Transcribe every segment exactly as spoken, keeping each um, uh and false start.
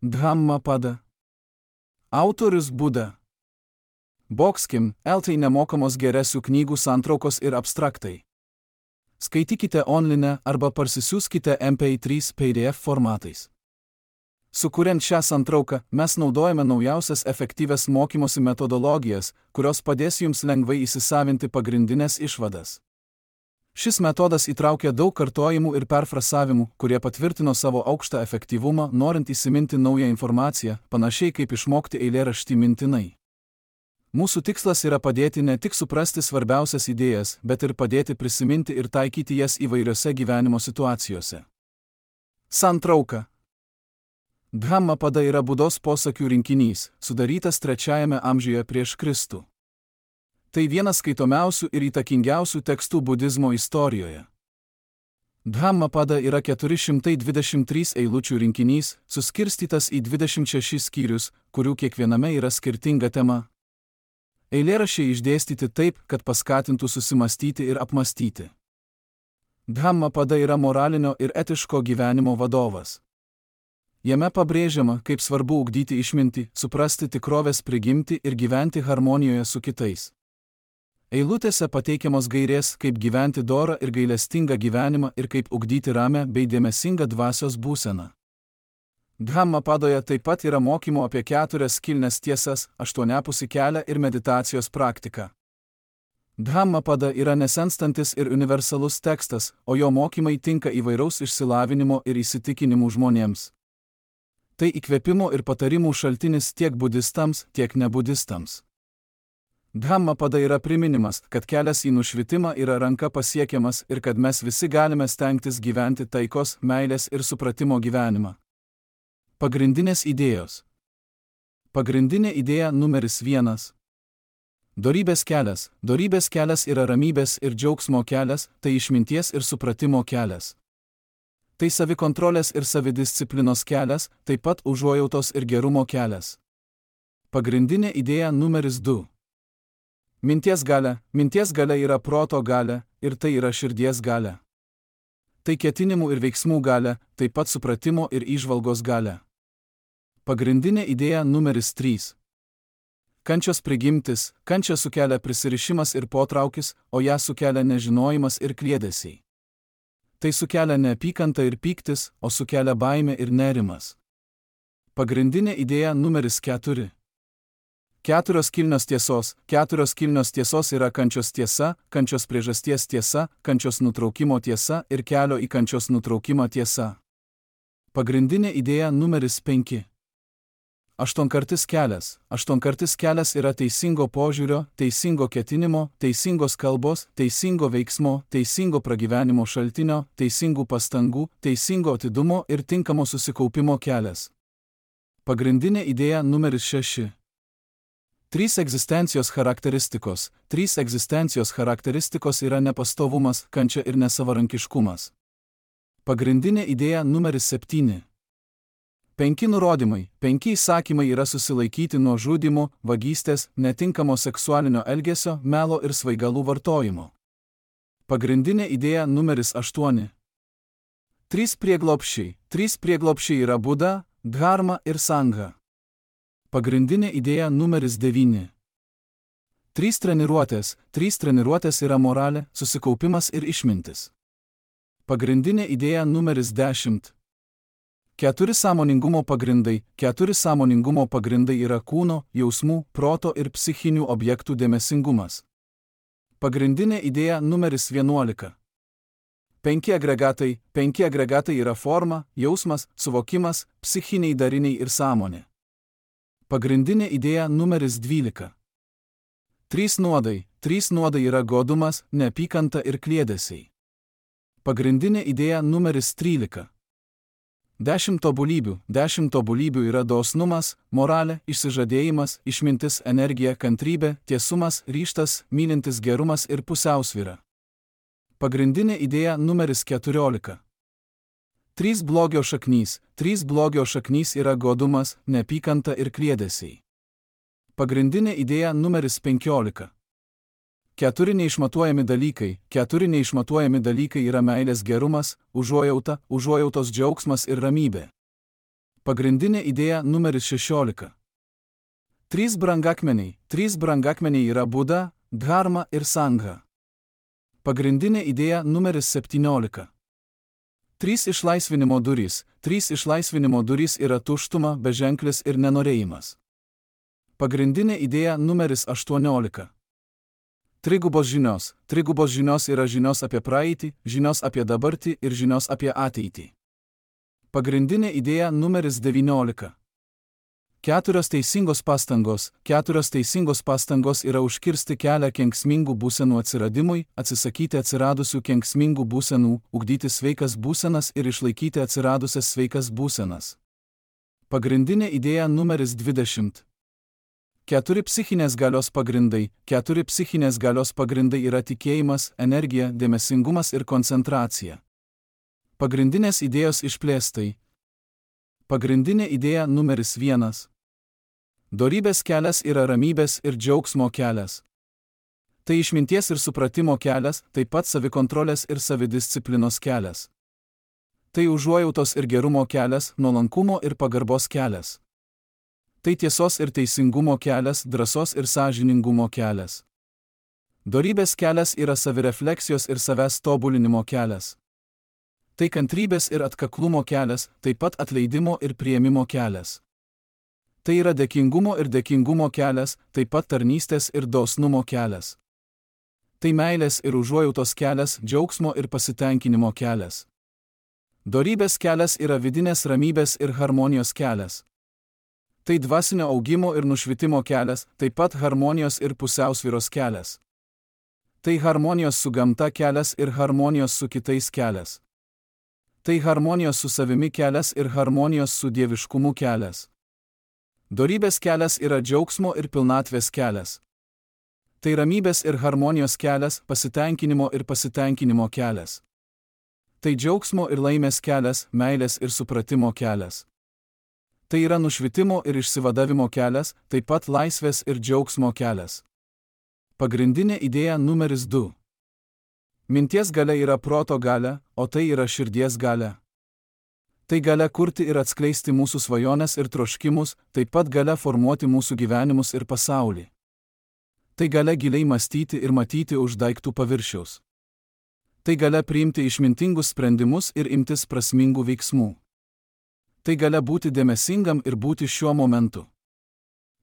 Dhammapada. Autorius Buda. Boxkim, eltai nemokamos geresių knygų santraukos ir abstraktai. Skaitykite online arba parsisiųskite M P trys P D F formatais. Sukuriant šią santrauką, mes naudojame naujausias efektyvias mokymosi metodologijas, kurios padės jums lengvai įsisavinti pagrindinės išvadas. Šis metodas įtraukia daug kartojimų ir perfrasavimų, kurie patvirtino savo aukštą efektyvumą, norint įsiminti naują informaciją, panašiai kaip išmokti eilėraštį mintinai. Mūsų tikslas yra padėti ne tik suprasti svarbiausias idėjas, bet ir padėti prisiminti ir taikyti jas įvairiose gyvenimo situacijose. Santrauka. Dhammapada yra Budos posakių rinkinys, sudarytas trečiajame amžiuje prieš Kristų. Tai vienas skaitomiausių ir įtakingiausių tekstų budizmo istorijoje. Dhammapada yra keturi šimtai dvidešimt trys eilučių rinkinys, suskirstytas į dvidešimt šešis skyrius, kurių kiekviename yra skirtinga tema. Eilėraščiai išdėstyti taip, kad paskatintų susimastyti ir apmastyti. Dhammapada yra moralinio ir etiško gyvenimo vadovas. Jame pabrėžiama, kaip svarbu ugdyti išmintį, suprasti tikrovės prigimtį ir gyventi harmonijoje su kitais. Eilutėse pateikiamos gairės, kaip gyventi dorą ir gailestingą gyvenimą ir kaip ugdyti ramę bei dėmesingą dvasios būseną. Dhammapadoje taip pat yra mokymo apie keturias kilnes tiesas, aštuoniapusį kelią ir meditacijos praktiką. Dhammapada yra nesenstantis ir universalus tekstas, o jo mokymai tinka įvairaus išsilavinimo ir įsitikinimų žmonėms. Tai įkvėpimo ir patarimų šaltinis tiek budistams, tiek nebudistams. Dhammapada yra priminimas, kad kelias į nušvitimą yra ranka pasiekiamas ir kad mes visi galime stengtis gyventi taikos, meilės ir supratimo gyvenimą. Pagrindinės idėjos. Pagrindinė idėja numeris vienas. Dorybės kelias. Dorybės kelias yra ramybės ir džiaugsmo kelias, tai išminties ir supratimo kelias. Tai savikontrolės ir savidisciplinos kelias, taip pat užuojautos ir gerumo kelias. Pagrindinė idėja numeris du. Minties galia. Minties galia yra proto galia, ir tai yra širdies galia. Tai ketinimų ir veiksmų galia, taip pat supratimo ir įžvalgos galia. Pagrindinė idėja numeris trys. Kančios prigimtis. Kančią sukelia prisirišimas ir potraukis, o ją sukelia nežinojimas ir kliedesiai. Tai sukelia neapykantą ir pyktis, o sukelia baimė ir nerimas. Pagrindinė idėja numeris keturi. Keturios kilnios tiesos. Keturios kilnios tiesos yra kančios tiesa, kančios priežasties tiesa, kančios nutraukimo tiesa ir kelio į kančios nutraukimą tiesa. Pagrindinė idėja numeris penki. Aštuonkartis kelias. Aštuonkartis kelias yra teisingo požiūrio, teisingo ketinimo, teisingos kalbos, teisingo veiksmo, teisingo pragyvenimo šaltinio, teisingų pastangų, teisingo atidumo ir tinkamo susikaupimo kelias. Pagrindinė idėja numeris šeši. Trys egzistencijos charakteristikos. Trys egzistencijos charakteristikos yra nepastovumas, kančia ir nesavarankiškumas. Pagrindinė idėja numeris septyni. Penki nurodymai. Penki įsakymai yra susilaikyti nuo žudymo, vagystės, netinkamo seksualinio elgesio, melo ir svaigalų vartojimo. Pagrindinė idėja numeris aštuoni. Trys prieglobsčiai. Trys prieglobsčiai yra Buda, Dharma ir Sangha. Pagrindinė idėja numeris devyni. Trys treniruotės. Trys treniruotės yra moralė, susikaupimas ir išmintis. Pagrindinė idėja numeris dešimt. Keturi sąmoningumo pagrindai. Keturi sąmoningumo pagrindai yra kūno, jausmų, proto ir psichinių objektų dėmesingumas. Pagrindinė idėja numeris vienuolika. Penki agregatai. Penki agregatai yra forma, jausmas, suvokimas, psichiniai dariniai ir sąmonė. Pagrindinė idėja numeris dvylika. Trys nuodai. Trys nuodai yra godumas, neapykanta ir kliedesiai. Pagrindinė idėja numeris trylika. Dešimt tobulybių. Dešimt tobulybių yra dosnumas, moralė, išsižadėjimas, išmintis, energija, kantrybė, tiesumas, ryžtas, mylintis gerumas ir pusiausvyra. Pagrindinė idėja numeris keturiolika. Trys blogio šaknys. Trys blogio šaknys yra godumas, neapykanta ir kliedesiai. Pagrindinė idėja numeris penkiolika. Keturi neišmatuojami dalykai. Keturi neišmatuojami dalykai yra meilės gerumas, užuojauta, užuojautos džiaugsmas ir ramybė. Pagrindinė idėja numeris šešiolika. Trys brangakmeniai. Trys brangakmeniai yra Buda, Dharma ir Sangha. Pagrindinė idėja numeris septyniolika. Trys išlaisvinimo durys. Trys išlaisvinimo durys yra tuštuma, beženklis ir nenorėjimas. Pagrindinė idėja numeris aštuoniolika. Trigubos žinios. Trigubos žinios yra žinios apie praeitį, žinios apie dabartį ir žinios apie ateitį. Pagrindinė idėja numeris devyniolika. Keturios teisingos pastangos. Keturios teisingos pastangos yra užkirsti kelią kenksmingų būsenų atsiradimui, atsisakyti atsiradusių kenksmingų būsenų, ugdyti sveikas būsenas ir išlaikyti atsiradusias sveikas būsenas. Pagrindinė idėja numeris dvidešimt. Keturi psichinės galios pagrindai. Keturi psichinės galios pagrindai yra tikėjimas, energija, dėmesingumas ir koncentracija. Pagrindinės idėjos išplėstai. Pagrindinė idėja numeris vienas. Dorybės kelias yra ramybės ir džiaugsmo kelias. Tai išminties ir supratimo kelias, taip pat savikontrolės ir savidisciplinos kelias. Tai užuojautos ir gerumo kelias, nuolankumo ir pagarbos kelias. Tai tiesos ir teisingumo kelias, drąsos ir sąžiningumo kelias. Dorybės kelias yra savirefleksijos ir savęs tobulinimo kelias. Tai kantrybės ir atkaklumo kelias, taip pat atleidimo ir priėmimo kelias. Tai yra dėkingumo ir dėkingumo kelias, taip pat tarnystės ir dosnumo kelias. Tai meilės ir užuojautos kelias, džiaugsmo ir pasitenkinimo kelias. Dorybės kelias yra vidinės ramybės ir harmonijos kelias. Tai dvasinio augimo ir nušvitimo kelias, taip pat harmonijos ir pusiausvyros kelias. Tai harmonijos su gamta kelias ir harmonijos su kitais kelias. Tai harmonijos su savimi kelias ir harmonijos su dieviškumu kelias. Dorybės kelias yra džiaugsmo ir pilnatvės kelias. Tai ramybės ir harmonijos kelias, pasitenkinimo ir pasitenkinimo kelias. Tai džiaugsmo ir laimės kelias, meilės ir supratimo kelias. Tai yra nušvitimo ir išsivadavimo kelias, taip pat laisvės ir džiaugsmo kelias. Pagrindinė idėja numeris du. Minties galia yra proto galia, o tai yra širdies galia. Tai galia kurti ir atskleisti mūsų svajones ir troškimus, taip pat galia formuoti mūsų gyvenimus ir pasaulį. Tai galia giliai mąstyti ir matyti už daiktų paviršiaus. Tai galia priimti išmintingus sprendimus ir imtis prasmingų veiksmų. Tai galia būti dėmesingam ir būti šiuo momentu.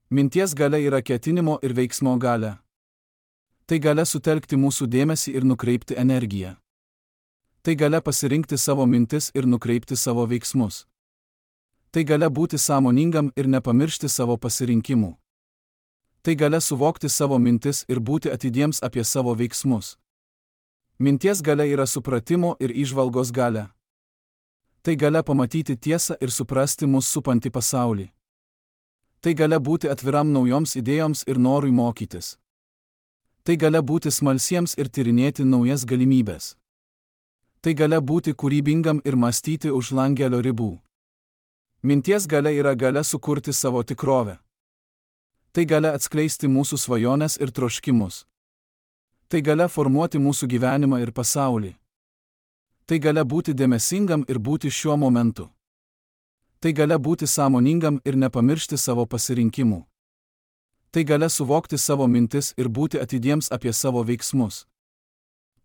Minties galia yra ketinimo ir veiksmo galia. Tai galia sutelkti mūsų dėmesį ir nukreipti energiją. Tai galia pasirinkti savo mintis ir nukreipti savo veiksmus. Tai galia būti sąmoningam ir nepamiršti savo pasirinkimų. Tai galia suvokti savo mintis ir būti atidiems apie savo veiksmus. Minties galia yra supratimo ir įžvalgos galia. Tai galia pamatyti tiesą ir suprasti mus supantį pasaulį. Tai galia būti atviram naujoms idėjoms ir norui mokytis. Tai galia būti smalsiems ir tyrinėti naujas galimybės. Tai galia būti kūrybingam ir mąstyti už langelio ribų. Minties galia yra galia sukurti savo tikrovę. Tai galia atskleisti mūsų svajones ir troškimus. Tai galia formuoti mūsų gyvenimą ir pasaulį. Tai galia būti dėmesingam ir būti šiuo momentu. Tai galia būti sąmoningam ir nepamiršti savo pasirinkimų. Tai galia suvokti savo mintis ir būti atidiems apie savo veiksmus.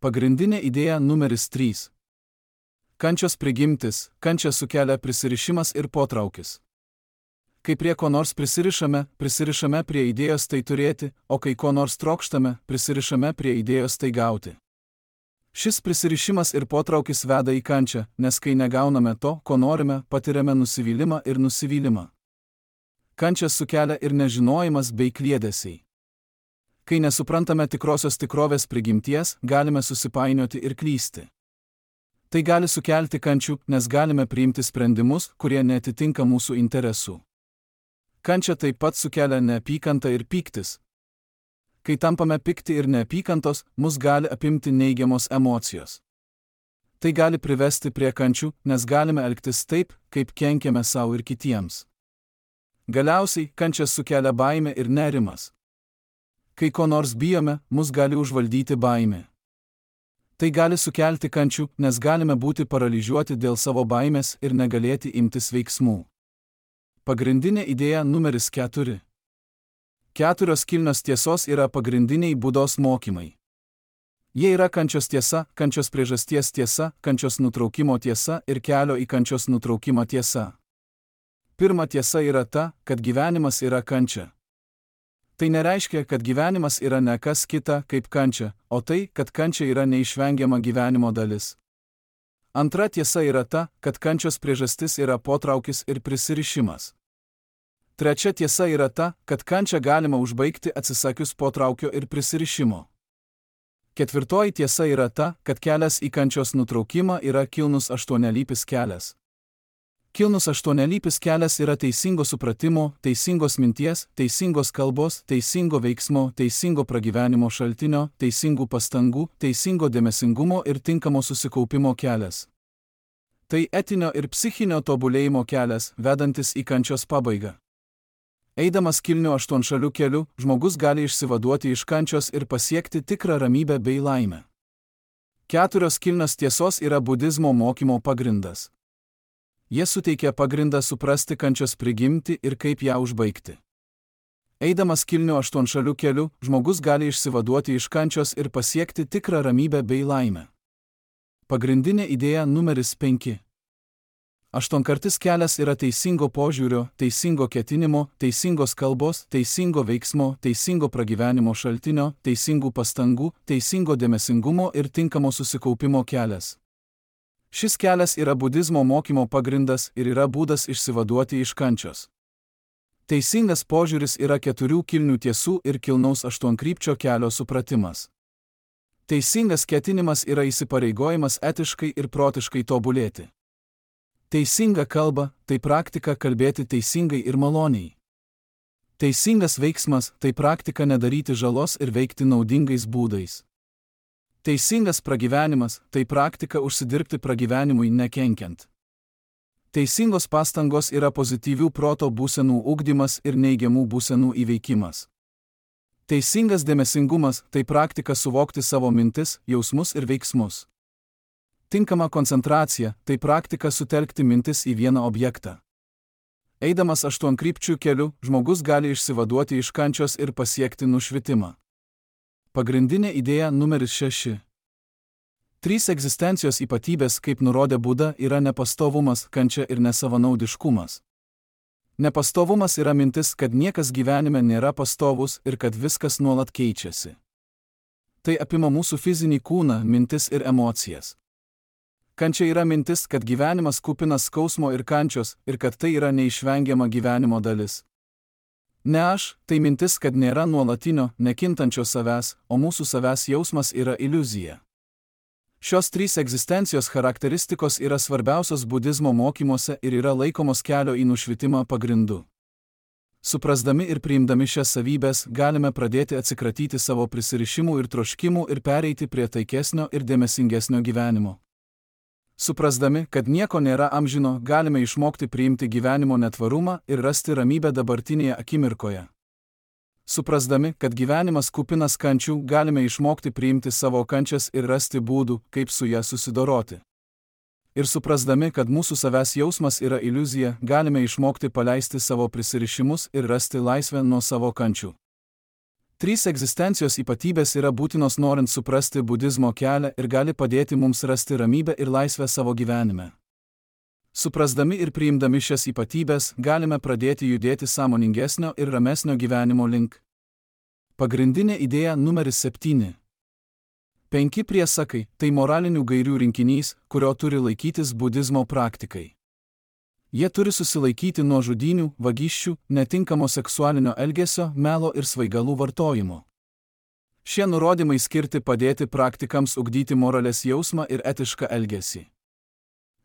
Pagrindinė idėja numeris trys. Kančios prigimtis. Kančia sukelia prisirišimas ir potraukis. Kai prie ko nors prisirišame, prisirišame prie idėjos tai turėti, o kai ko nors trokštame, prisirišame prie idėjos tai gauti. Šis prisirišimas ir potraukis veda į kančią, nes kai negauname to, ko norime, patiriame nusivylimą ir nusivylimą. Kančią sukelia ir nežinojimas bei kliedesiai. Kai nesuprantame tikrosios tikrovės prigimties, galime susipainioti ir klysti. Tai gali sukelti kančių, nes galime priimti sprendimus, kurie neatitinka mūsų interesų. Kančia taip pat sukelia neapykantą ir pyktis. Kai tampame pikti ir neapykantos, mus gali apimti neigiamos emocijos. Tai gali privesti prie kančių, nes galime elgtis taip, kaip kenkiame savo ir kitiems. Galiausiai, kančias sukelia baimė ir nerimas. Kai ko nors bijome, mus gali užvaldyti baimė. Tai gali sukelti kančių, nes galime būti paralyžiuoti dėl savo baimės ir negalėti imtis veiksmų. Pagrindinė idėja numeris keturi. Keturios kilnios tiesos yra pagrindiniai Budos mokymai. Jie yra kančios tiesa, kančios priežasties tiesa, kančios nutraukimo tiesa ir kelio į kančios nutraukimą tiesa. Pirma tiesa yra ta, kad gyvenimas yra kančia. Tai nereiškia, kad gyvenimas yra ne kas kita kaip kančia, o tai, kad kančia yra neišvengiama gyvenimo dalis. Antra tiesa yra ta, kad kančios priežastis yra potraukis ir prisirišimas. Trečia tiesa yra ta, kad kančią galima užbaigti atsisakius potraukio ir prisirišimo. Ketvirtoji tiesa yra ta, kad kelias į kančios nutraukimą yra kilnus aštuonialypis kelias. Kilnus aštuonialypis kelias yra teisingo supratimo, teisingos minties, teisingos kalbos, teisingo veiksmo, teisingo pragyvenimo šaltinio, teisingų pastangų, teisingo dėmesingumo ir tinkamo susikaupimo kelias. Tai etinio ir psichinio tobulėjimo kelias, vedantis į kančios pabaigą. Eidamas kilniu aštuonšaliu keliu, žmogus gali išsivaduoti iš kančios ir pasiekti tikrą ramybę bei laimę. Keturios kilnios tiesos yra budizmo mokymo pagrindas. Jie suteikia pagrindą suprasti kančios prigimtį ir kaip ją užbaigti. Eidamas kilniu aštuonšaliu keliu, žmogus gali išsivaduoti iš kančios ir pasiekti tikrą ramybę bei laimę. Pagrindinė idėja numeris penki. Aštuonkartis kelias yra teisingo požiūrio, teisingo ketinimo, teisingos kalbos, teisingo veiksmo, teisingo pragyvenimo šaltinio, teisingų pastangų, teisingo dėmesingumo ir tinkamo susikaupimo kelias. Šis kelias yra budizmo mokymo pagrindas ir yra būdas išsivaduoti iš kančios. Teisingas požiūris yra keturių kilnių tiesų ir kilnaus aštuonkrypčio kelio supratimas. Teisingas ketinimas yra įsipareigojimas etiškai ir protiškai tobulėti. Teisinga kalba – tai praktika kalbėti teisingai ir maloniai. Teisingas veiksmas – tai praktika nedaryti žalos ir veikti naudingais būdais. Teisingas pragyvenimas – tai praktika užsidirbti pragyvenimui nekenkiant. Teisingos pastangos yra pozityvių proto būsenų ugdymas ir neigiamų būsenų įveikimas. Teisingas dėmesingumas – tai praktika suvokti savo mintis, jausmus ir veiksmus. Tinkama koncentracija – tai praktika sutelkti mintis į vieną objektą. Eidamas aštuonkrypčių keliu, žmogus gali išsivaduoti iš kančios ir pasiekti nušvitimą. Pagrindinė idėja numeris šeši. Trys egzistencijos ypatybės, kaip nurodė Buda, yra nepastovumas, kančia ir nesavanaudiškumas. Nepastovumas yra mintis, kad niekas gyvenime nėra pastovus ir kad viskas nuolat keičiasi. Tai apima mūsų fizinį kūną, mintis ir emocijas. Kančia yra mintis, kad gyvenimas kupinas skausmo ir kančios ir kad tai yra neišvengiama gyvenimo dalis. Ne aš, tai mintis, kad nėra nuolatinio, nekintančio savęs, o mūsų savęs jausmas yra iliuzija. Šios trys egzistencijos charakteristikos yra svarbiausios budizmo mokymuose ir yra laikomos kelio į nušvitimą pagrindu. Suprasdami ir priimdami šias savybės, galime pradėti atsikratyti savo prisirišimų ir troškimų ir pereiti prie taikesnio ir dėmesingesnio gyvenimo. Suprasdami, kad nieko nėra amžino, galime išmokti priimti gyvenimo netvarumą ir rasti ramybę dabartinėje akimirkoje. Suprasdami, kad gyvenimas kupinas kančių, galime išmokti priimti savo kančias ir rasti būdų, kaip su ją susidoroti. Ir suprasdami, kad mūsų savęs jausmas yra iliuzija, galime išmokti paleisti savo prisirišimus ir rasti laisvę nuo savo kančių. Trys egzistencijos ypatybės yra būtinos norint suprasti budizmo kelią ir gali padėti mums rasti ramybę ir laisvę savo gyvenime. Suprasdami ir priimdami šias ypatybės, galime pradėti judėti sąmoningesnio ir ramesnio gyvenimo link. Pagrindinė idėja numeris septyni. Penki priesakai – tai moralinių gairių rinkinys, kurio turi laikytis budizmo praktikai. Jie turi susilaikyti nuo žudynių, vagysčių, netinkamo seksualinio elgesio, melo ir svaigalų vartojimo. Šie nurodymai skirti padėti praktikams ugdyti moralės jausmą ir etišką elgesį.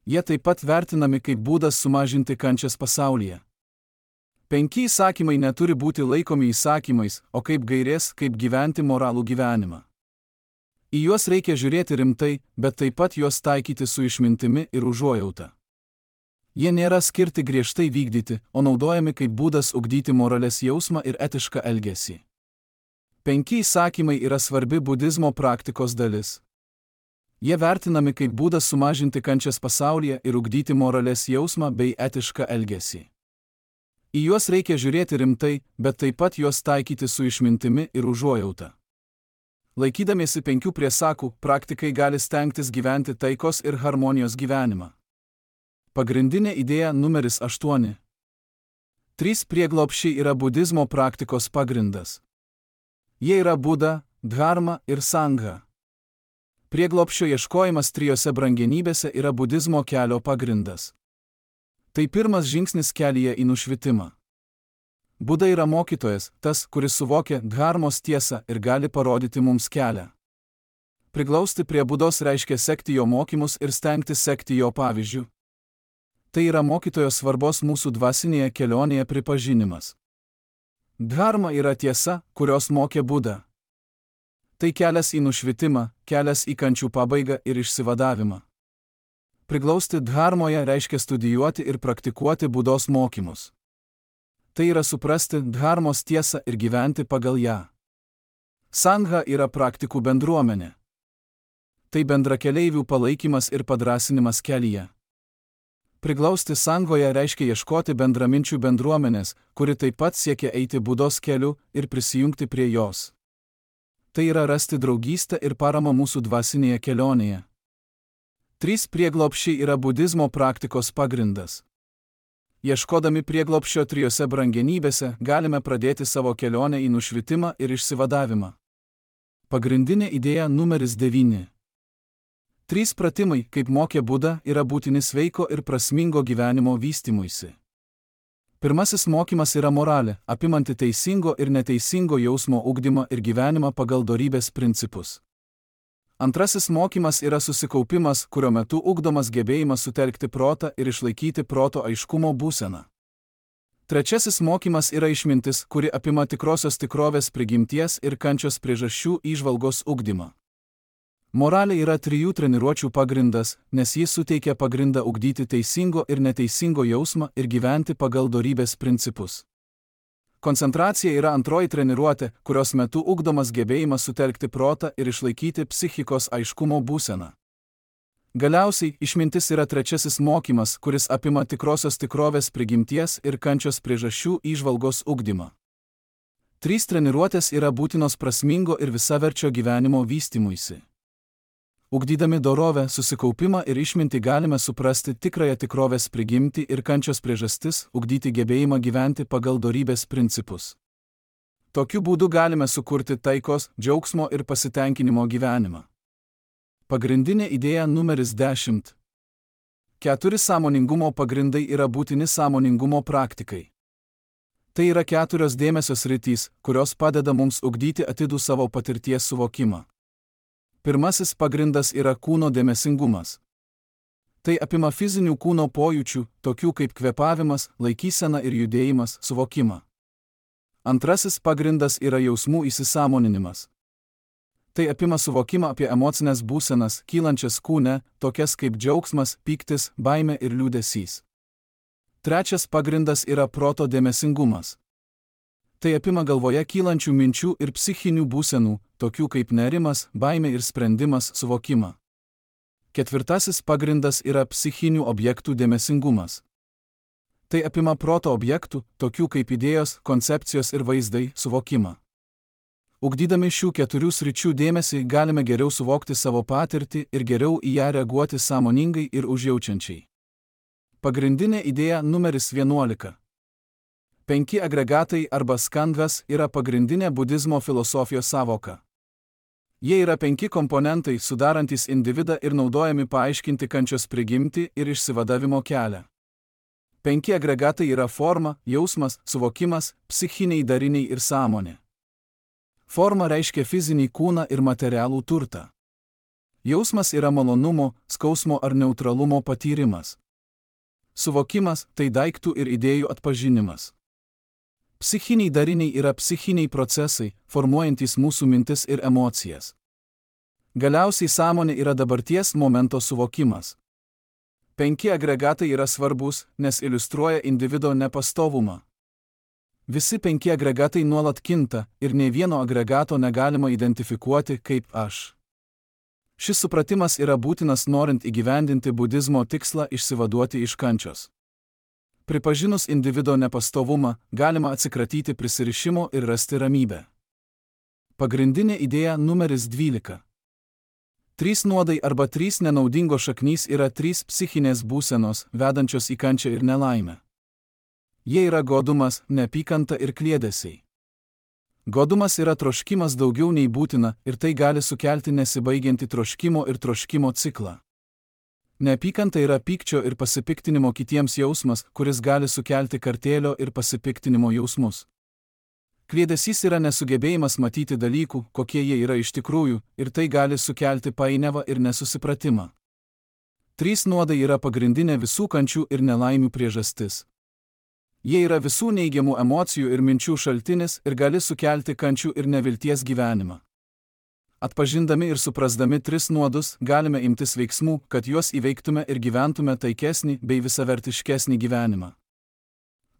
Jie taip pat vertinami kaip būdas sumažinti kančias pasaulyje. Penki įsakymai neturi būti laikomi įsakymais, o kaip gairės, kaip gyventi moralų gyvenimą. Į juos reikia žiūrėti rimtai, bet taip pat juos taikyti su išmintimi ir užuojauta. Jie nėra skirti griežtai vykdyti, o naudojami kaip būdas ugdyti moralės jausmą ir etišką elgesį. Penki įsakymai yra svarbi budizmo praktikos dalis. Jie vertinami kaip būdas sumažinti kančias pasaulyje ir ugdyti moralės jausmą bei etišką elgesį. Į juos reikia žiūrėti rimtai, bet taip pat juos taikyti su išmintimi ir užuojauta. Laikydamiesi penkių priesakų, praktikai gali stengtis gyventi taikos ir harmonijos gyvenimą. Pagrindinė idėja numeris aštuoni. Trys prieglobsčiai yra budizmo praktikos pagrindas. Jie yra Buda, Dharma ir Sangha. Prieglobsčio ieškojimas trijose brangenybėse yra budizmo kelio pagrindas. Tai pirmas žingsnis kelyje į nušvitimą. Buda yra mokytojas, tas, kuris suvokia dharmos tiesą ir gali parodyti mums kelią. Priglausti prie Budos reiškia sekti jo mokymus ir stengtis sekti jo pavyzdžių. Tai yra mokytojo svarbos mūsų dvasinėje kelionėje pripažinimas. Dharma yra tiesa, kurios mokė Buda. Tai kelias į nušvitimą, kelias į kančių pabaigą ir išsivadavimą. Priglausti dharmoje reiškia studijuoti ir praktikuoti Budos mokymus. Tai yra suprasti dharmos tiesą ir gyventi pagal ją. Sangha yra praktikų bendruomenė. Tai bendrakeleivių palaikymas ir padrąsinimas kelyje. Priglausti Sanghoje reiškia ieškoti bendraminčių bendruomenės, kuri taip pat siekia eiti Budos keliu ir prisijungti prie jos. Tai yra rasti draugystę ir paramą mūsų dvasinėje kelionėje. Trys prieglobsčiai yra budizmo praktikos pagrindas. Ieškodami prieglobsčio trijose brangenybėse, galime pradėti savo kelionę į nušvitimą ir išsivadavimą. Pagrindinė idėja numeris devyni. Trys pratimai, kaip mokė Buda, yra būtini sveiko ir prasmingo gyvenimo vystymuisi. Pirmasis mokymas yra moralė, apimanti teisingo ir neteisingo jausmo ugdymą ir gyvenimą pagal dorybės principus. Antrasis mokymas yra susikaupimas, kurio metu ugdomas gebėjimas sutelkti protą ir išlaikyti proto aiškumo būseną. Trečiasis mokymas yra išmintis, kuri apima tikrosios tikrovės prigimties ir kančios priežasčių įžvalgos ugdymą. Moralė yra trijų treniruočių pagrindas, nes jis suteikia pagrindą ugdyti teisingo ir neteisingo jausmą ir gyventi pagal dorybės principus. Koncentracija yra antroji treniruotė, kurios metu ugdomas gebėjimas sutelkti protą ir išlaikyti psichikos aiškumo būseną. Galiausiai, išmintis yra trečiasis mokymas, kuris apima tikrosios tikrovės prigimties ir kančios priežasčių įžvalgos ugdymą. Trys treniruotės yra būtinos prasmingo ir visaverčio gyvenimo vystymuisi. Ugdydami dorovę, susikaupimą ir išmintį galime suprasti tikrąją tikrovės prigimtį ir kančios priežastis, ugdyti gebėjimą gyventi pagal dorybės principus. Tokiu būdu galime sukurti taikos, džiaugsmo ir pasitenkinimo gyvenimą. Pagrindinė idėja numeris dešimt. Keturi sąmoningumo pagrindai yra būtini sąmoningumo praktikai. Tai yra keturios dėmesio sritys, kurios padeda mums ugdyti atidų savo patirties suvokimą. Pirmasis pagrindas yra kūno dėmesingumas. Tai apima fizinių kūno pojūčių, tokių kaip kvėpavimas, laikysena ir judėjimas, suvokimą. Antrasis pagrindas yra jausmų įsisąmoninimas. Tai apima suvokimą apie emocinės būsenas, kylančias kūne, tokias kaip džiaugsmas, pyktis, baimė ir liūdesys. Trečias pagrindas yra proto dėmesingumas. Tai apima galvoje kylančių minčių ir psichinių būsenų, tokių kaip nerimas, baimė ir sprendimas, suvokimą. Ketvirtasis pagrindas yra psichinių objektų dėmesingumas. Tai apima proto objektų, tokių kaip idėjos, koncepcijos ir vaizdai, suvokimą. Ugdydami šių keturių sričių dėmesį galime geriau suvokti savo patirtį ir geriau į ją reaguoti sąmoningai ir užjaučiančiai. Pagrindinė idėja numeris vienuolika. Penki agregatai arba skandhas yra pagrindinė budizmo filosofijos sąvoka. Jie yra penki komponentai, sudarantys individą ir naudojami paaiškinti kančios prigimtį ir išsivadavimo kelią. Penki agregatai yra forma, jausmas, suvokimas, psichiniai dariniai ir sąmonė. Forma reiškia fizinį kūną ir materialų turtą. Jausmas yra malonumo, skausmo ar neutralumo patyrimas. Suvokimas – tai daiktų ir idėjų atpažinimas. Psichiniai dariniai yra psichiniai procesai, formuojantys mūsų mintis ir emocijas. Galiausiai sąmonė yra dabarties momento suvokimas. Penki agregatai yra svarbus, nes iliustruoja individo nepastovumą. Visi penki agregatai nuolat kinta ir nei vieno agregato negalima identifikuoti kaip aš. Šis supratimas yra būtinas norint įgyvendinti budizmo tikslą išsivaduoti iš kančios. Pripažinus individo nepastovumą, galima atsikratyti prisirišimo ir rasti ramybę. Pagrindinė idėja numeris dvylika. Trys nuodai arba trys nenaudingos šaknys yra trys psichinės būsenos, vedančios į kančią ir nelaimę. Jie yra godumas, neapykanta ir kliedesiai. Godumas yra troškimas daugiau nei būtina ir tai gali sukelti nesibaigiantį troškimo ir troškimo ciklą. Neapykanta yra pykčio ir pasipiktinimo kitiems jausmas, kuris gali sukelti kartėlio ir pasipiktinimo jausmus. Kliedesys yra nesugebėjimas matyti dalykų, kokie jie yra iš tikrųjų, ir tai gali sukelti painiavą ir nesusipratimą. Trys nuodai yra pagrindinė visų kančių ir nelaimių priežastis. Jie yra visų neigiamų emocijų ir minčių šaltinis ir gali sukelti kančių ir nevilties gyvenimą. Atpažindami ir suprasdami tris nuodus, galime imtis veiksmų, kad juos įveiktume ir gyventume taikesnį bei visavertiškesnį gyvenimą.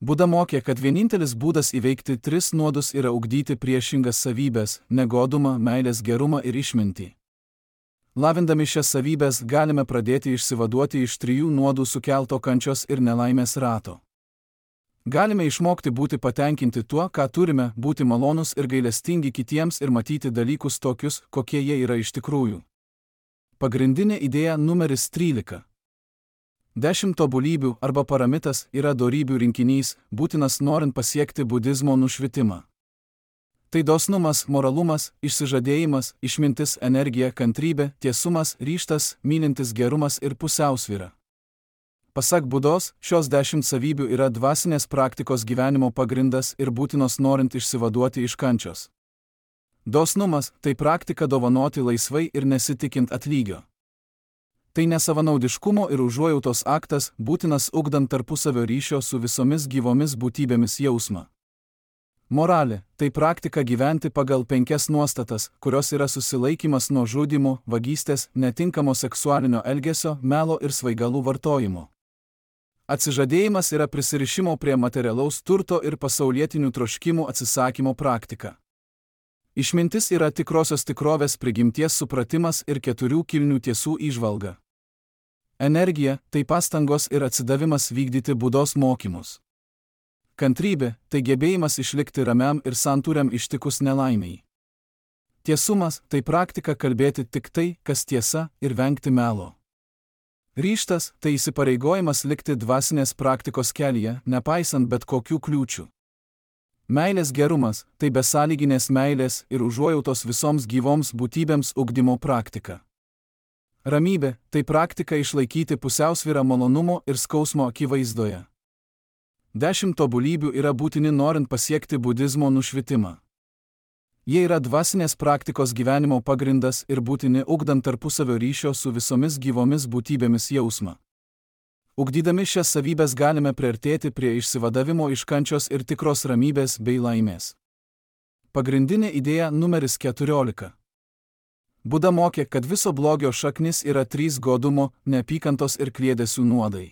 Buda mokė, kad vienintelis būdas įveikti tris nuodus yra ugdyti priešingas savybes – negodumą, meilės gerumą ir išmintį. Lavindami šias savybes galime pradėti išsivaduoti iš trijų nuodų sukelto kančios ir nelaimės rato. Galime išmokti būti patenkinti tuo, ką turime, būti malonūs ir gailestingi kitiems ir matyti dalykus tokius, kokie jie yra iš tikrųjų. Pagrindinė idėja numeris trylika. Dešimt tobulybių arba paramitas yra dorybių rinkinys, būtinas norint pasiekti budizmo nušvitimą. Tai dosnumas, moralumas, išsižadėjimas, išmintis, energija, kantrybė, tiesumas, ryžtas, mylintis gerumas ir pusiausvyra. Pasak Budos, šios dešimt savybių yra dvasinės praktikos gyvenimo pagrindas ir būtinos norint išsivaduoti iš kančios. Dosnumas – tai praktika dovanoti laisvai ir nesitikint atlygio. Tai nesavanaudiškumo ir užuojautos aktas, būtinas ugdant tarpusavio ryšio su visomis gyvomis būtybėmis jausmą. Moralė – tai praktika gyventi pagal penkias nuostatas, kurios yra susilaikymas nuo žudymo, vagystės, netinkamo seksualinio elgesio, melo ir svaigalų vartojimo. Atsižadėjimas yra prisirišimo prie materialaus turto ir pasaulietinių troškimų atsisakymo praktika. Išmintis yra tikrosios tikrovės prigimties supratimas ir keturių kilnių tiesų įžvalga. Energija – tai pastangos ir atsidavimas vykdyti Budos mokymus. Kantrybė – tai gebėjimas išlikti ramiam ir santūriam ištikus nelaimei. Tiesumas – tai praktika kalbėti tik tai, kas tiesa, ir vengti melo. Ryžtas – tai įsipareigojimas likti dvasinės praktikos kelyje, nepaisant bet kokių kliūčių. Meilės gerumas – tai besąlyginės meilės ir užuojautos visoms gyvoms būtybėms ugdymo praktika. Ramybė – tai praktika išlaikyti pusiausvyrą malonumo ir skausmo akivaizdoje. Dešimt tobulybių yra būtini norint pasiekti budizmo nušvitimą. Jie yra dvasinės praktikos gyvenimo pagrindas ir būtini ugdant tarpusavio ryšio su visomis gyvomis būtybėmis jausmą. Ugdydami šias savybes galime priartėti prie išsivadavimo iš kančios ir tikros ramybės bei laimės. Pagrindinė idėja numeris keturiolika. Buda mokė, kad viso blogio šaknis yra trys godumo, neapykantos ir kliedesių nuodai.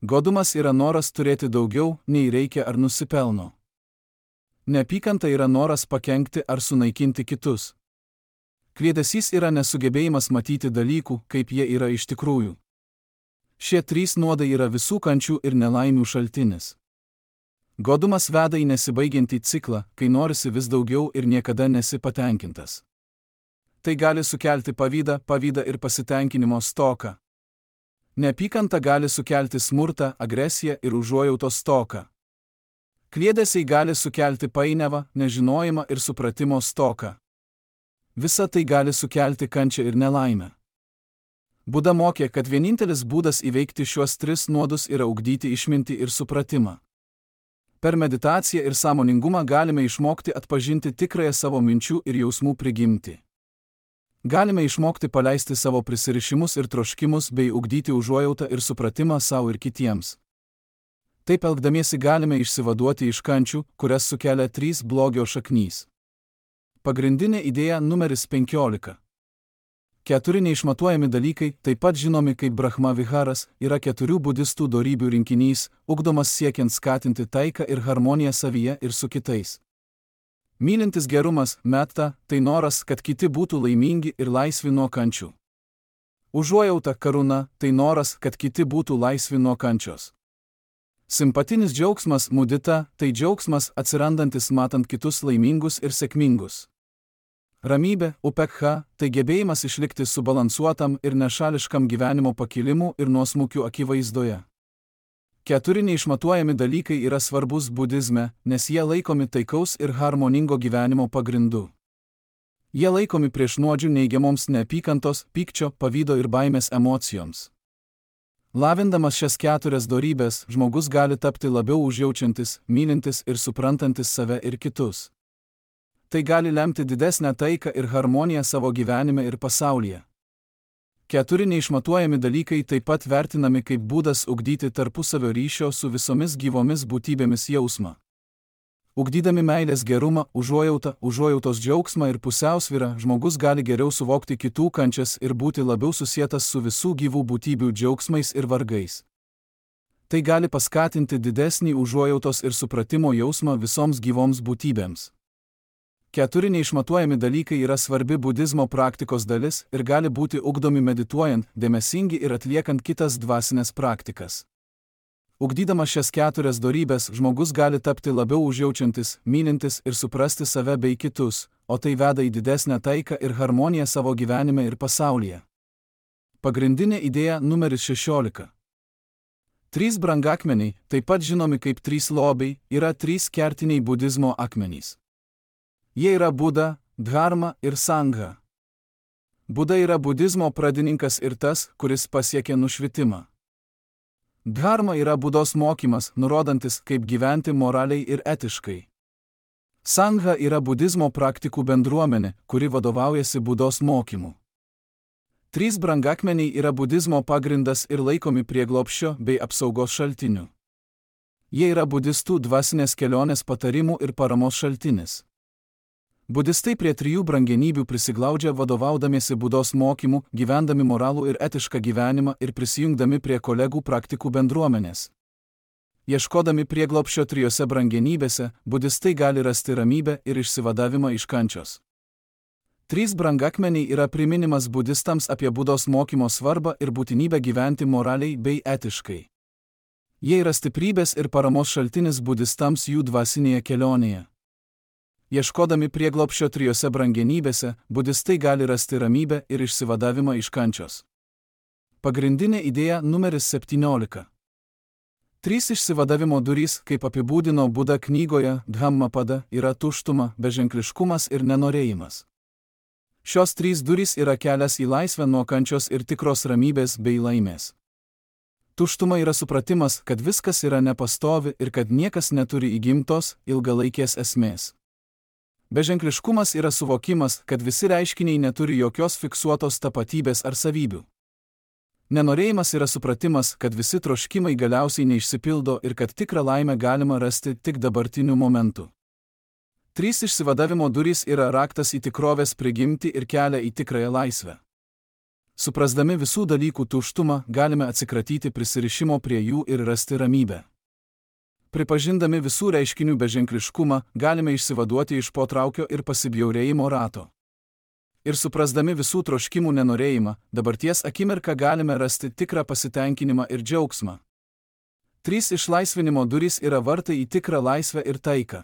Godumas yra noras turėti daugiau, nei reikia ar nusipelno. Neapykanta yra noras pakenkti ar sunaikinti kitus. Kliedesys yra nesugebėjimas matyti dalykų, kaip jie yra iš tikrųjų. Šie trys nuodai yra visų kančių ir nelaimių šaltinis. Godumas veda į nesibaigiantį ciklą, kai norisi vis daugiau ir niekada nesi patenkintas. Tai gali sukelti pavydą, pavydą ir pasitenkinimo stoką. Neapykanta gali sukelti smurtą, agresiją ir užuojautos stoką. Kliedesiai gali sukelti painiavą, nežinojimą ir supratimo stoką. Visa tai gali sukelti kančią ir nelaimę. Buda mokė, kad vienintelis būdas įveikti šiuos tris nuodus yra ugdyti išmintį ir supratimą. Per meditaciją ir sąmoningumą galime išmokti atpažinti tikrąją savo minčių ir jausmų prigimtį. Galime išmokti paleisti savo prisirišimus ir troškimus bei ugdyti užuojautą ir supratimą savo ir kitiems. Taip elgdamiesi galime išsivaduoti iš kančių, kurias sukelia trys blogio šaknys. Pagrindinė idėja numeris penkiolika. Keturi neišmatuojami dalykai, taip pat žinomi kaip Brahma viharas, yra keturių budistų dorybių rinkinys, ugdomas siekiant skatinti taiką ir harmoniją savyje ir su kitais. Mylintis gerumas, metta, tai noras, kad kiti būtų laimingi ir laisvi nuo kančių. Užuojauta, karuna, tai noras, kad kiti būtų laisvi nuo kančios. Simpatinis džiaugsmas mudita – tai džiaugsmas atsirandantis matant kitus laimingus ir sėkmingus. Ramybė, upekha – tai gebėjimas išlikti subalansuotam ir nešališkam gyvenimo pakilimų ir nuosmukių akivaizdoje. Keturi neišmatuojami dalykai yra svarbus budizme, nes jie laikomi taikaus ir harmoningo gyvenimo pagrindu. Jie laikomi prieš nuodžių neigiamoms neapykantos, pykčio, pavydo ir baimės emocijoms. Lavindamas šias keturias dorybes, žmogus gali tapti labiau užjaučiantis, mylintis ir suprantantis save ir kitus. Tai gali lemti didesnę taiką ir harmoniją savo gyvenime ir pasaulyje. Keturi neišmatuojami dalykai taip pat vertinami kaip būdas ugdyti tarpusavio ryšio su visomis gyvomis būtybėmis jausmą. Ugdydami meilės gerumą, užuojautą, užuojautos džiaugsmą ir pusiausvyrą, žmogus gali geriau suvokti kitų kančias ir būti labiau susietas su visų gyvų būtybių džiaugsmais ir vargais. Tai gali paskatinti didesnį užuojautos ir supratimo jausmą visoms gyvoms būtybėms. Keturi neišmatuojami dalykai yra svarbi budizmo praktikos dalis ir gali būti ugdomi medituojant, dėmesingi ir atliekant kitas dvasinės praktikas. Ugdydamas šias keturias dorybes, žmogus gali tapti labiau užjaučiantis, mylintis ir suprasti save bei kitus, o tai veda į didesnę taiką ir harmoniją savo gyvenime ir pasaulyje. Pagrindinė idėja numeris šešiolika. Trys brangakmeniai, taip pat žinomi kaip trys lobiai, yra trys kertiniai budizmo akmenys. Jie yra Buda, Dharma ir Sangha. Buda yra budizmo pradininkas ir tas, kuris pasiekė nušvitimą. Dharma yra Budos mokymas, nurodantis, kaip gyventi moraliai ir etiškai. Sangha yra budizmo praktikų bendruomenė, kuri vadovaujasi Budos mokymu. Trys brangakmeniai yra budizmo pagrindas ir laikomi prieglobsčio bei apsaugos šaltiniu. Jie yra budistų dvasinės kelionės patarimų ir paramos šaltinis. Budistai prie trijų brangenybių prisiglaudžia vadovaudamiesi Budos mokymu, gyvendami moralų ir etišką gyvenimą ir prisijungdami prie kolegų praktikų bendruomenės. Ieškodami prieglobsčio trijose brangenybėse, budistai gali rasti ramybę ir išsivadavimą iš kančios. Trys brangakmeniai yra priminimas budistams apie Budos mokymo svarbą ir būtinybę gyventi moraliai bei etiškai. Jie yra stiprybės ir paramos šaltinis budistams jų dvasinėje kelionėje. Ieškodami prieglobsčio trijose brangenybėse, budistai gali rasti ramybę ir išsivadavimą iš kančios. Pagrindinė idėja numeris septyniolika. Trys išsivadavimo durys, kaip apibūdino Buda knygoje Dhammapada, yra tuštuma, beženkliškumas ir nenorėjimas. Šios trys durys yra kelias į laisvę nuo kančios ir tikros ramybės bei laimės. Tuštuma yra supratimas, kad viskas yra nepastovi ir kad niekas neturi įgimtos, ilgalaikės esmės. Beženkliškumas yra suvokimas, kad visi reiškiniai neturi jokios fiksuotos tapatybės ar savybių. Nenorėjimas yra supratimas, kad visi troškimai galiausiai neišsipildo ir kad tikrą laimę galima rasti tik dabartiniu momentu. Trys išsivadavimo durys yra raktas į tikrovės prigimtį ir kelią į tikrąją laisvę. Suprasdami visų dalykų tuštumą, galime atsikratyti prisirišimo prie jų ir rasti ramybę. Pripažindami visų reiškinių beženkliškumą, galime išsivaduoti iš potraukio ir pasibjaurėjimo rato. Ir suprasdami visų troškimų nenorėjimą, dabarties akimirką galime rasti tikrą pasitenkinimą ir džiaugsmą. Trys išlaisvinimo durys yra vartai į tikrą laisvę ir taiką.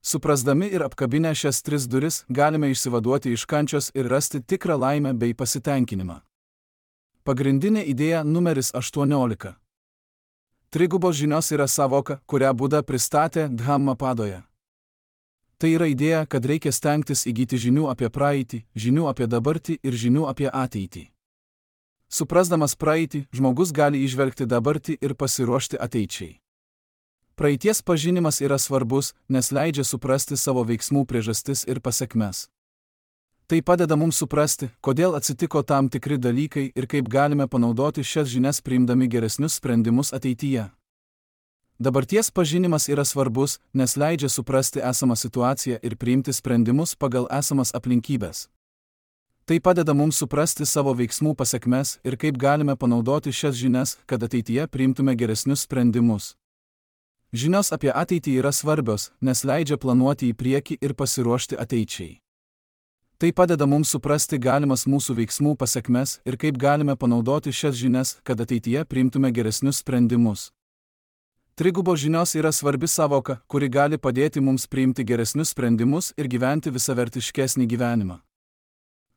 Suprasdami ir apkabinę šias tris duris, galime išsivaduoti iš kančios ir rasti tikrą laimę bei pasitenkinimą. Pagrindinė idėja numeris aštuoniolika. Trigubos žinios yra savoka, kurią Buda pristatė Dhammapadoje. Tai yra idėja, kad reikia stengtis įgyti žinių apie praeitį, žinių apie dabartį ir žinių apie ateitį. Suprasdamas praeitį, žmogus gali įžvelgti dabartį ir pasiruošti ateičiai. Praeities pažinimas yra svarbus, nes leidžia suprasti savo veiksmų priežastis ir pasekmes. Tai padeda mums suprasti, kodėl atsitiko tam tikri dalykai ir kaip galime panaudoti šias žinias priimdami geresnius sprendimus ateityje. Dabarties pažinimas yra svarbus, nes leidžia suprasti esamą situaciją ir priimti sprendimus pagal esamas aplinkybės. Tai padeda mums suprasti savo veiksmų pasekmes ir kaip galime panaudoti šias žinias, kad ateityje priimtume geresnius sprendimus. Žinios apie ateitį yra svarbios, nes leidžia planuoti į priekį ir pasiruošti ateičiai. Tai padeda mums suprasti galimas mūsų veiksmų pasekmes ir kaip galime panaudoti šias žinias, kad ateityje priimtume geresnius sprendimus. Trigubo žinios yra svarbi savoka, kuri gali padėti mums priimti geresnius sprendimus ir gyventi visavertiškesnį gyvenimą.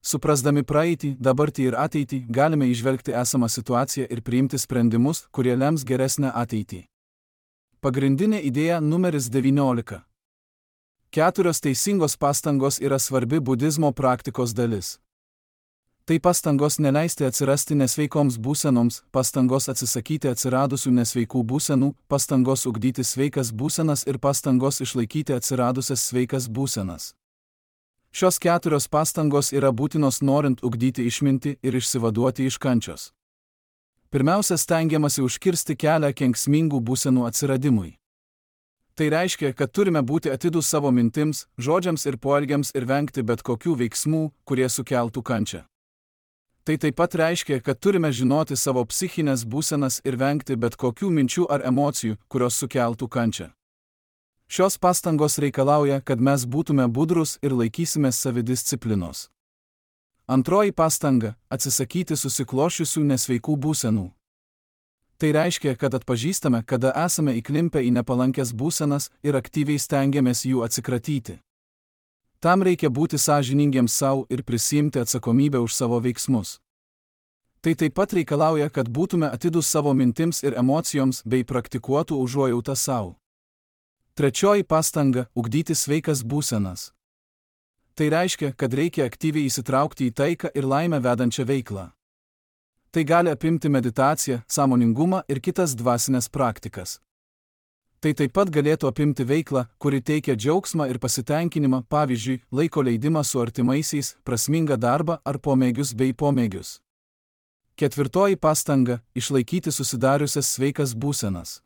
Suprasdami praeitį, dabartį ir ateitį, galime įžvelgti esamą situaciją ir priimti sprendimus, kurie lems geresnę ateitį. Pagrindinė idėja numeris devyniolika. Keturios teisingos pastangos yra svarbi budizmo praktikos dalis. Tai pastangos neleisti atsirasti nesveikoms būsenoms, pastangos atsisakyti atsiradusių nesveikų būsenų, pastangos ugdyti sveikas būsenas ir pastangos išlaikyti atsiradusias sveikas būsenas. Šios keturios pastangos yra būtinos norint ugdyti išmintį ir išsivaduoti iš kančios. Pirmiausia, stengiamasi užkirsti kelią kenksmingų būsenų atsiradimui. Tai reiškia, kad turime būti atidūs savo mintims, žodžiams ir poelgiams ir vengti bet kokių veiksmų, kurie sukeltų kančią. Tai taip pat reiškia, kad turime žinoti savo psichinės būsenas ir vengti bet kokių minčių ar emocijų, kurios sukeltų kančią. Šios pastangos reikalauja, kad mes būtume budrus ir laikysimės savidisciplinos. Antroji pastanga – atsisakyti susiklošiusių nesveikų būsenų. Tai reiškia, kad atpažįstame, kada esame įklimpę į nepalankęs būsenas ir aktyviai stengiamės jų atsikratyti. Tam reikia būti sąžiningiems savo ir prisiimti atsakomybę už savo veiksmus. Tai taip pat reikalauja, kad būtume atidūs savo mintims ir emocijoms bei praktikuotų užuojautą savo. Trečioji pastanga – ugdyti sveikas būsenas. Tai reiškia, kad reikia aktyviai įsitraukti į taiką ir laimę vedančią veiklą. Tai gali apimti meditaciją, sąmoningumą ir kitas dvasinės praktikas. Tai taip pat galėtų apimti veiklą, kuri teikia džiaugsmą ir pasitenkinimą, pavyzdžiui, laiko leidimą su artimaisiais, prasmingą darbą ar pomėgius bei pomėgius. Ketvirtoji pastanga – išlaikyti susidariusias sveikas būsenas.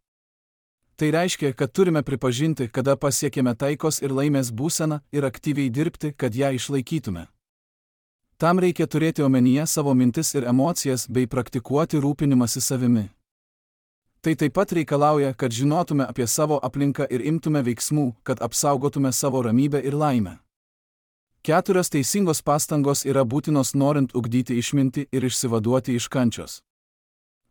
Tai reiškia, kad turime pripažinti, kada pasiekėme taikos ir laimės būseną ir aktyviai dirbti, kad ją išlaikytume. Tam reikia turėti omenyje savo mintis ir emocijas bei praktikuoti rūpinimąsi savimi. Tai taip pat reikalauja, kad žinotume apie savo aplinką ir imtume veiksmų, kad apsaugotume savo ramybę ir laimę. Keturios teisingos pastangos yra būtinos norint ugdyti išmintį ir išsivaduoti iš kančios.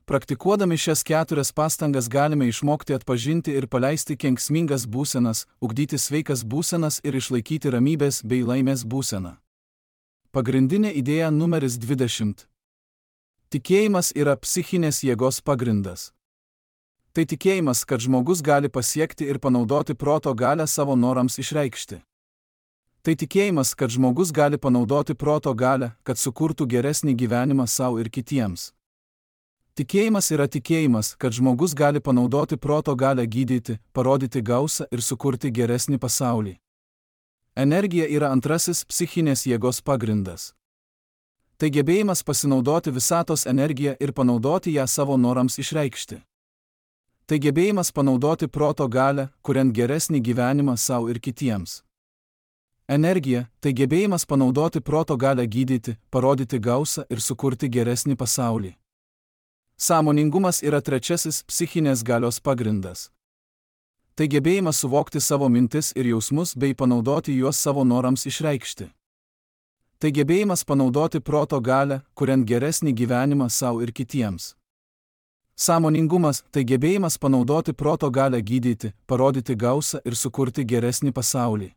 Praktikuodami šias keturias pastangas galime išmokti atpažinti ir paleisti kenksmingas būsenas, ugdyti sveikas būsenas ir išlaikyti ramybės bei laimės būseną. Pagrindinė idėja numeris dvidešimt. Tikėjimas yra psichinės jėgos pagrindas. Tai tikėjimas, kad žmogus gali pasiekti ir panaudoti proto galią savo norams išreikšti. Tai tikėjimas, kad žmogus gali panaudoti proto galią, kad sukurtų geresnį gyvenimą savo ir kitiems. Tikėjimas yra tikėjimas, kad žmogus gali panaudoti proto galią gydyti, parodyti gausą ir sukurti geresnį pasaulį. Energija yra antrasis psichinės jėgos pagrindas. Tai gebėjimas pasinaudoti visatos energiją ir panaudoti ją savo norams išreikšti. Tai gebėjimas panaudoti proto galią, kuriant geresnį gyvenimą savo ir kitiems. Energija – tai gebėjimas panaudoti proto galią gydyti, parodyti gausą ir sukurti geresnį pasaulį. Sąmoningumas yra trečiasis psichinės galios pagrindas. Tai gebėjimas suvokti savo mintis ir jausmus bei panaudoti juos savo norams išreikšti. Tai gebėjimas panaudoti proto galią, kuriant geresnį gyvenimą savo ir kitiems. Sąmoningumas – tai gebėjimas panaudoti proto galią gydyti, parodyti gausą ir sukurti geresnį pasaulį.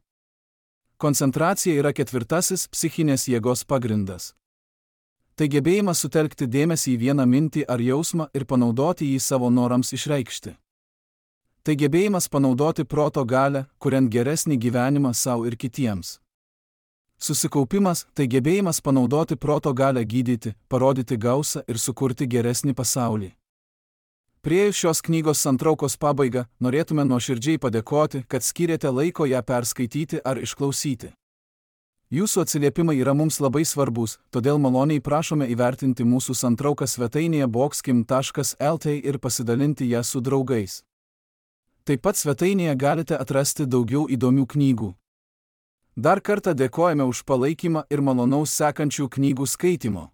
Koncentracija yra ketvirtasis psichinės jėgos pagrindas. Tai gebėjimas sutelkti dėmesį į vieną mintį ar jausmą ir panaudoti jį savo norams išreikšti. Tai gebėjimas panaudoti proto galią, kuriant geresnį gyvenimą savo ir kitiems. Susikaupimas – tai gebėjimas panaudoti proto galią gydyti, parodyti gausą ir sukurti geresnį pasaulį. Priėjus šios knygos santraukos pabaigą, norėtume nuoširdžiai padėkoti, kad skyrėte laiko ją perskaityti ar išklausyti. Jūsų atsiliepimai yra mums labai svarbus, todėl maloniai prašome įvertinti mūsų santrauką svetainėje boxkim taškas el t ir pasidalinti ją su draugais. Taip pat svetainėje galite atrasti daugiau įdomių knygų. Dar kartą dėkojame už palaikymą ir malonaus sekančių knygų skaitimo.